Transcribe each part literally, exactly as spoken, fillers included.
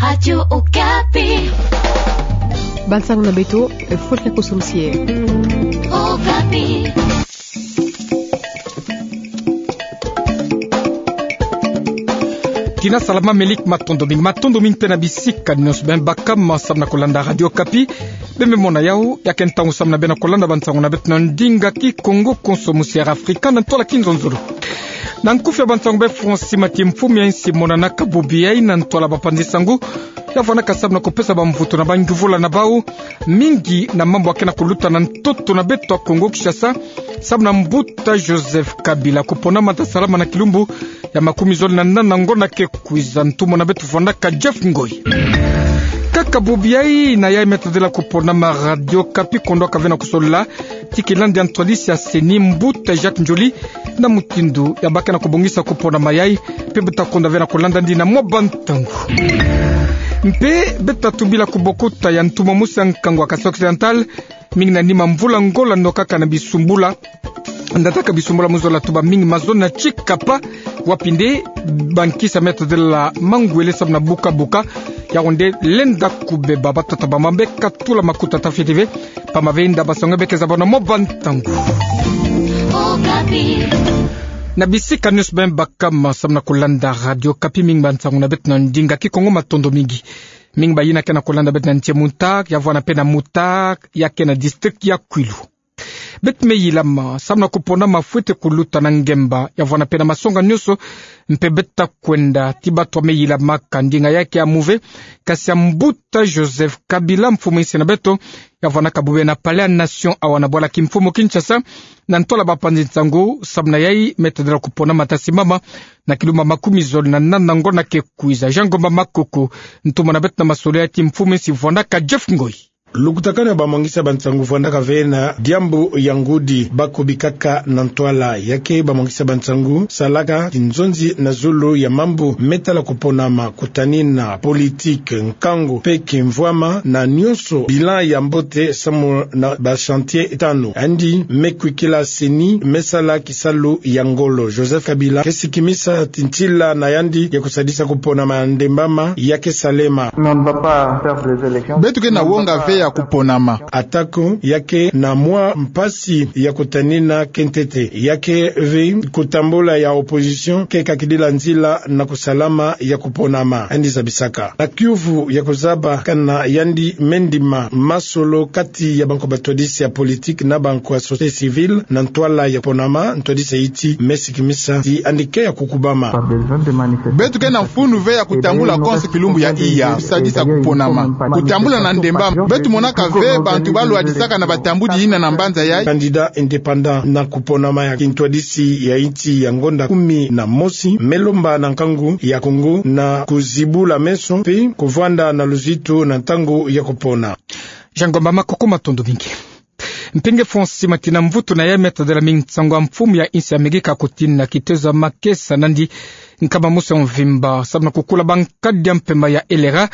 Radio Okapi. Bansango na beto, Florence Kosso Moussier. Okapi. Tina salama, melik matondo mingi, matondo mingi mpe na bisika nyonso beno baka ma samu na kolanda Radio Okapi. Bembe mona yau, ya ke ntangu samu na beno kolanda bansango na beto na ndinga Kikongo, konso musi ya Afrika, na ntwala Kinzonzolo. Na nkufi ya bansango, be Francis Mati, mfumu ya insi, monanaka bobi yai na ntwala bapanzi nsangu, ya vwanaka samu na kupesa bamvutu na bangyuvula na bau, mingi na mambu ya ke na kuluta na ntoto na beto ya Kongo Kinshasa, samu na mbuta Joseph Kabila kuponama ta salama na kilumbu ya makumi zole na nana ngonda ke kwiza. Ntumwa na beto vwanaka Jeff Ngoi. Kaka bobi yai na yai me tadila kuponama, Radio Okapi kondoka ve na kusolola ti kilandi ya ntwadisi ya CENI, mbuta Jacques Ndjoli, na mutindu ya baka na kubongisa kuponama yai, mpe mbuta konda ve na kolanda ndi na mwa bantangu. Mpe beto ta tubila kubokuta ya ntumwa musi ya nkangu ya Kasaï Occidental, mingi na nima mvula ngola nokaka na bisumbula. Ndataka bisumbula mu zola tuba mingi, mazono na tsikapa, wapi nde bankisi me tadila mangwele samu na buka-buka, ya wonde lenda kubeba. Batata bamama, beka tula makuta ta fete ve, pamba ve nda basango beke zaba na mwa bantangu. Okapi. Na bisika nyonso beno baka ma samu na kolanda Radio Okapi, mingi bansango na beto na ndinga Kikongo, matondo mingi. Mingi bayina ke na kolanda beto na ntie Mountag, ya vwana mpe na Mountag, ya ke na district ya Kouilou. Beto me yilama samu na kuponama fwete kuluta na ngemba, ya vwana mpe na masonga nyonso, mpe beto ta kwenda ti bato me yilamaka ndinga ya ke ya muve, kasi ya mbuta Joseph Kabila, mfumu insi na beto, ya vwanaka bobi yai na Palais ya Nation awa na bwala kimfumu Kinshasa, na ntwala bapanzi nsangu, samu na yai me tadila kuponama ta simama na kilumbu ya makumi zole na nana ngonda ke kwiza. Jean Ngomba Makoko, ntumwa na beto na masolo ya ti mfumu insi, vwanaka Jeff Ngoi. Lukutakanu ya bamwangisi ya bansangu vwandaka ve na diambu ya ngudi, bakubikaka na ntwala ya ke bamwangisi ya bansangu salaka kinzonzi na zulu ya mambu me tala kuponama, kutanina, politique, nkangu mpe kimvwama na nyonso, bilan ya mbote samu na ba chantier tanu. Yandi me kwikila CENI, me sala kisalu ya ngolo. Joseph Kabila ke sikimisa ti ntila na yandi ya kusadisa kuponama ya ndembama ya ke salema. Beto ke na wonga ve ya kuponama. Atako ya ke na mwa mpasi ya kutanina ke ntete, ya ke ve kutambula ya opposition ke kakidila nzila na kusalama ya kuponama, yandi zabisaka. Na kiuvu ya kuzaba kana yandi me ndima masolo kati ya banko batwadisi ya politique na banko ya société civile na ntwala ya kuponama, ntwadisi ya iti me sikimisa ti yandi ke ya kukubama. Beto ke na mfunu ve ya kutambula konso kilumbu ya iya, kusadisa kuponama, kutambula na ndembama. Beto monaka ve bantu balwadisaka na batambudi yina na mbanza yai. Candidat indépendant na kuponama ya kintwadisi ya insi ya ngonda kumi na mosi me lomba na nkangu ya Kongo na kuzibula meso mpe kuvwanda na luzitu na ntangu ya kupona. Jean Ngomba Makoko, matondo mingi. Mpinge Francis Mati, na mvutu na yai me tadila mingi nsangu ya mfumu ya insi ya Amerika kutina kitezo ya makesa nandi nkama mosi ya mvimba samu na kukula bankadi ya mpemba ya LRA,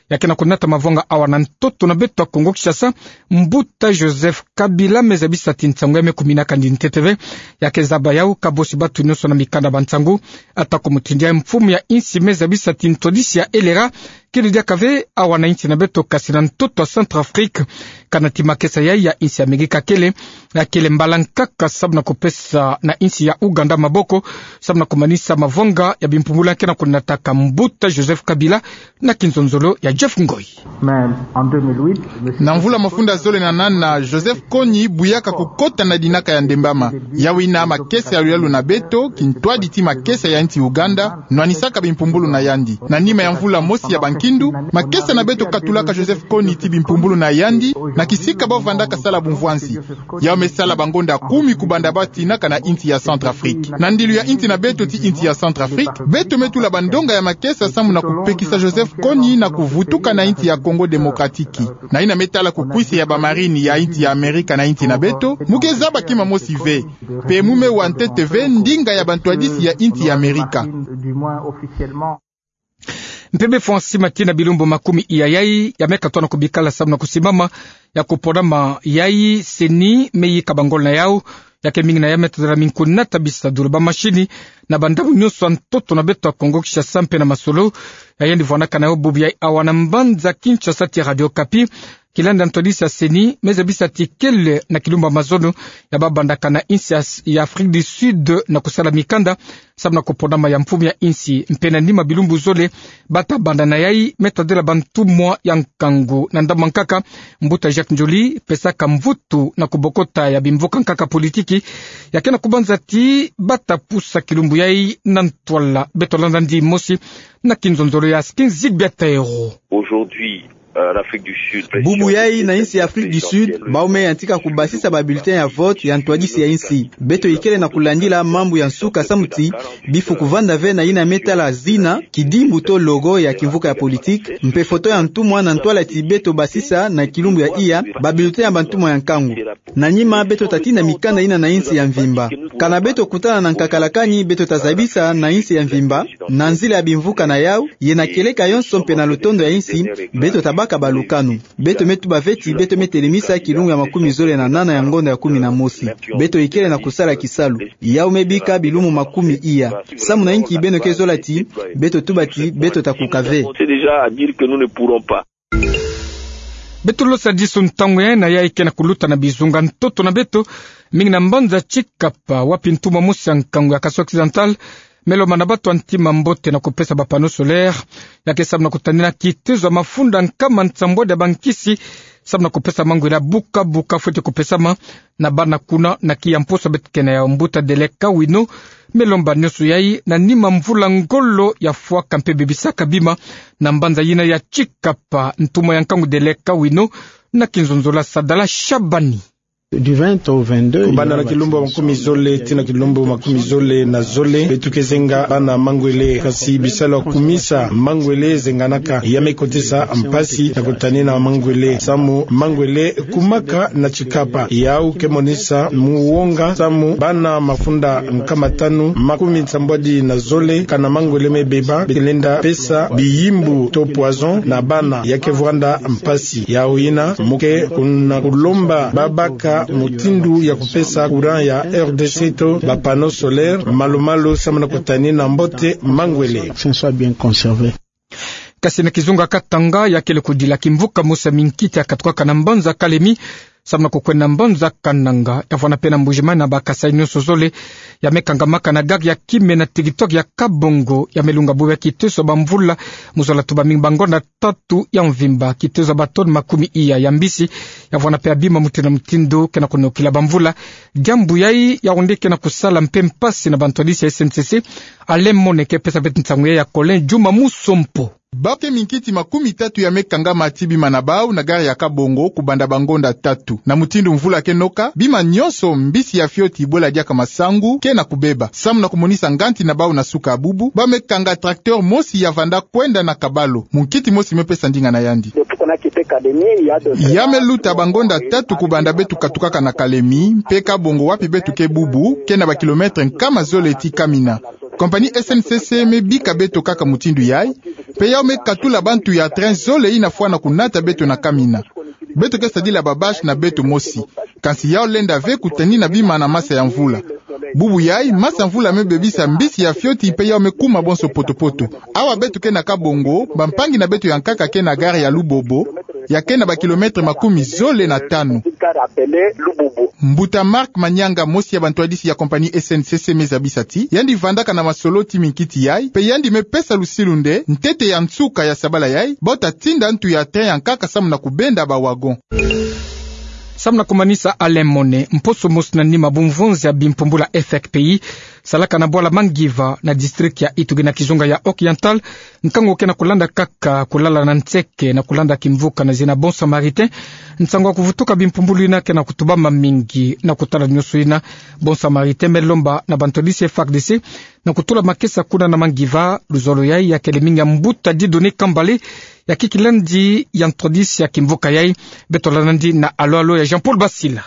ya ke na kunata mavwanga awa na ntoto na beto ya Kongo Kinshasa. Mbuta Joseph Kabila me zabisa ti nsangu ya me kumina kandi ntete ve, ya ke zaba yau kabosi batu nyonso na mikanda ba nsangu. Atako mutindu yai, mfumu ya insi me zabisa ti ntwadisi ya LRA kele diaka ve awa na insi na beto kasi na ntoto ya Centrafrique. Kana ti makesa yai ya insi ya Amerika kele, ya kele mbala nkaka samu na kupesa na insi ya Ouganda maboko samu na kumanisa mavwanga ya bimpumbulu ya ke na kunataka mbuta Joseph Kabila na kinzonzolo ya Jeff Ngoi. Na mvula mafunda zole na nana, Joseph Kony buyaka kukota na dinaka ya ndembama. Yawina makesa ya luyalu na beto, kintwadi ti makesa ya insi Ouganda, nwanisaka bimpumbulu na yandi. Na nima ya mvula mosi ya bankindu, makesa na beto katulaka Joseph Kony ti bimpumbulu na yandi na kisika bo vandaka sala bumvwansi. Yau me sala bangonda kumi kubanda ba tinaka na insi ya Centrafrique. Na ndilu ya insi na beto ti insi ya Centrafrique, beto me tula bandonga ya makesa samu na kupekisa Joseph Kony na kuvutuka na insi ya Congo Démocratique. Na yina me tala kukwisa ya bamarine ya insi ya Amerika na insi na beto, mu ke zaba kima mosi ve. Mpe mu me wa ntete ve ndinga ya bantwadisi ya insi ya Amerika. Mpe be Francis Mati, na bilumbu makumi iya yai ya me katona kubikala samu na kusimama ya kuponama yai, CENI me yika bangolo na yau Ya ke mingi na yai me tadala minkunata bisadula ba mashini na bandambu nyonso ya ntoto na beto ya Kongo Kinshasa mpe na masolo. Ya yandi vwanakana yo bubu yai awa na mbanza Kinshasa tia Radio Okapi. Kilandi ya ntwadisi ya CENI me zabisa ti kele na kilumbu ya mazono ya ba bandakana insi ya, ya Afrique du Sud na kusala mikanda samu na kupona ma ya mfumu ya insi. Mpe na nima bilumbu zole bata banda na yai me tadala bantumwa ya nkangu. Na ndambu ya nkaka, mbuta Jacques Ndjoli pesaka mvutu na kubokota ya bimvuka nkaka politiki ya ke na kubanza ti bata pusa kilumbu yai na ntwala. Beto landa ndi mosi na kinzonzolo ya Skin Zigbia Taero. Aujourd'hui, euh, l'Afrique du Sud. Bubu yai na insi ya Afrique du Sud, bau me yantika kubasisa ba bulletin ya vote ya ntwadisi ya insi. Beto ikele na kulandila mambu ya nsuka samu ti bifu kuvanda ve na yina me tala zina, kidimbu to logo ya kimvuka ya politique, mpe foto ya ntumwa na ntwala ti beto basisa na kilumbu ya iya ba bulletin ya bantumwa ya nkangu. Na nima beto ta tinda mikanda yina na insi ya mvimba. Kana beto kutana na nkakalakani, beto ta zabisa na insi ya mvimba, na nzila ya bimvuka na yau, ye na kieleka yonso mpe na lutondo ya insi, beto ta baka balukanu. Beto me tuba ve ti beto me telemisa kilumbu ya makumi zole na nana ya ngonda ya kumi na mosi. Beto ikele na kusala kisalu. Yau me bika bilumbu makumi iya. Samu na inki beno ke zola ti, beto tuba ti, beto ta kuka ve. C'est déjà à dire que nous ne pourrons pas. Beto losa disu ntangu yai na yai ke na kuluta na bizunga ntoto na beto, mingi na mbanza Tshikapa, wapi ntumwa mosi ya nkangu ya Kasaï Occidental me lomba na bato ya ntima mbote na kupesa ba panneaux solaires, ya ke samu na kutanina kitezo ya mafunda nkama nsambwadi ya bankisi, samu na kupesa mangwele ya buka buka fweti kupesama na bana kuna na kiya mposo beto ke na yau. Mbuta Deleka Wino me lomba nyonso yai na nima mvula ngolo ya fwaka mpe bebisaka bima na mbanza yina ya Tshikapa. Ntumwa ya nkangu Deleka Wino na kinzonzolo ya Sadala Shabani. Du vingt au vingt-deux, kubanda na kilumbu makumi zole tii na kilumbu makumi zole na zole, beto ke zenga bana mangwele, kasi bisalu ya kukumisa mangwele zenganaka. Ya me kotisa mpasi na kutanina mangwele, samu mangwele kumaka na Tshikapa. Yau ke monisa muwonga samu bana mafunda nkama tanu makumi nsambwadi na zole, kana mangwele me beba, beto lenda pesa biyimbu to poison na bana. Ya ke vwanda mpasi. Yau yina mu ke kuna kulomba babaka mutindu ya kupesa courant ya R D C to ba panneaux solaires malu-malu samu na kutanina mbote mangwele. Soit bien conservé. Kasi na kizunga Katanga, ya kele kudila kimvuka mosi ya minkiti ya katukaka na mbanza Kalemi samu na kukwenda na mbanza Kananga. Ya vwanda mpe na Mbuji-Mayi na ba Kasaï nyonso zole. Ya me kangamaka na gare ya Kimena, territoire ya Kabongo. Ya me lunga bubu ya kitezo ya bamvula, mu zola tuba mingi bangonda tatu ya mvimba, kitezo ya ba tonnes makumi iya ya mbisi. Ya vwanda mpe ya bima mutindu na mutindu ke na kunokila bamvula. Diambu yai ya onde ke na kusala mpe mpasi na bantwadisi ya S N C C. Alain Mone ke pesa beto nsangu yai ya Colin Juma Musompo. Bau ke minkiti makumi tatu ya me kangama tii bima na bau na gare ya Kabongo kubanda bangonda tatu. Na mutindu mvula ke noka, bima nyonso, mbisi ya fioti, bwela diaka masangu, ke na kubeba. Samu na kumonisa nganti na bau na suka ya bubu, bau me kanga tracteur mosi ya vanda kwenda na Kabalu. Munkiti mosi me pesa ndinga na yandi. Ya me luta bangonda tatu kubanda beto katukaka na Kalemi, mpe Kabongo wapi beto ke bubu, ke na ba kilomètres nkama zole tii Kamina. Compagnie S N C C me bika beto kaka mutindu yai, mpe yau me katula bantu ya train zole yina fwana kunata beto na Kamina. Beto ke sadila ba bâche na beto mosi. Kansi yau lenda ve kutanina bima na masa ya mvula. Bubu yai, masa mvula me bebisa mbisi ya fioti mpe yau me kuma bonso poto-poto. Awa beto ke na Kabongo, bampangi na beto ya nkaka ke na gare ya Lubobo, ya ke na ba kilomètres makumi zole na tanu. Mbuta Marc Manianga, mosi ya bantwadisi ya compagnie S N C C, me zabisa ti yandi vandaka na masolo tii minkiti yai, mpe yandi me pesa lusilu nde ntete ya nsuka ya sabala yai, bau ta tinda ntu ya train ya nkaka samu na kubenda ba wagon. Samu na kumanisa, Alain Mone, mposo mosi na nima, bumvonzi ya bimpumbula F F P I salaka na bwala Mangiva na district ya Ituri na kizunga ya Occidental, nkangu ke na kulanda kaka kulala na nseke na kulanda kimvuka na zina Bon Samaritain. Nsangu ya kuvutuka bimpumbulu yina ke na kutubama mingi. Na kutala nyonso yina, Bon Samaritain me lomba na bantwadisi F A R D C na kutula makesa kuna na Mangiva. Luzolo yai ya kele mingi ya mbuta Dieudonné Kambale, ya kiki landi ya ntwadisi ya kimvuka yai. Beto landa nandi na alo-alo ya Jean-Paul Basila.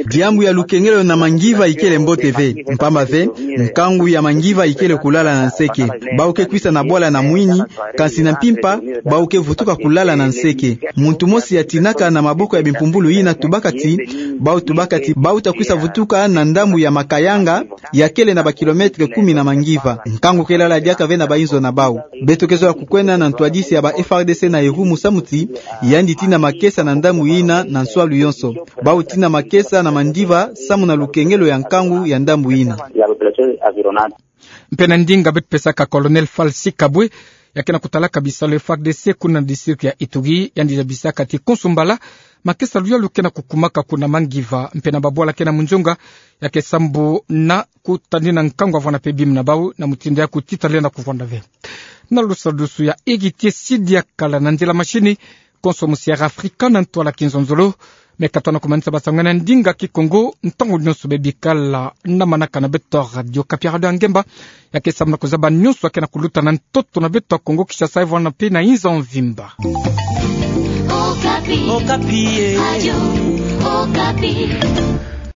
Diambu ya lukengelo na mangiva ikele mbote ve, mpamba ve nkangu ya mangiva ikele kulala na nseke. Bau ke kwisa na bwala na mwini, kansi na mpimpa bau ke vutuka kulala na nseke. Muntu mosi ya tinaka na maboko ya bimpumbulu yina tubaka ti, bau tubaka ti bau ta kwisa vutuka na ndambu ya Makayanga, ya kele na ba kilomètre kumi na mangiva. Nkangu ke lala diaka ve na bainzo na bau. Beto ke zola kukwenda na ntwadisi ya ba F A R D C na Irumu samu ti yandi tina makesa na ndambu yina na nswalu yonso. Bau tina makesa na mandiva samu na lukengelo ya nkangu ya ndambu yina. Mpe na ndinga beto pesaka Colonel Falsi Kabwe, ya ke na kutalaka bisalu F A R D C kuna na district ya Ituri, yandi zabisaka ti konso mbala makesa luyalu ke na kukumaka kuna mangiva, mpe na babwala ke na munzonga, ya ke sambu na kutadina nkangu avwanda mpe bima na bau na mutindu ya kutitala na kuvwanda ve. Na lusadusu ya Héritier Sidi Akala na nzila mashini, konso mu Sierra Africa na ntwala kinzonzolo. Me katona kumanisa basango na ndinga Kikongo, ntangu nyonso bebikala na manaka na beto Radio Okapi, Radio Ngemba, ya ke samu na kuzaba nyonso ya ke na kuluta na ntoto na beto Kongo Kinshasa, Evo na mpe na inza mvimba. Okapi. Okapi, eh. Radio Okapi.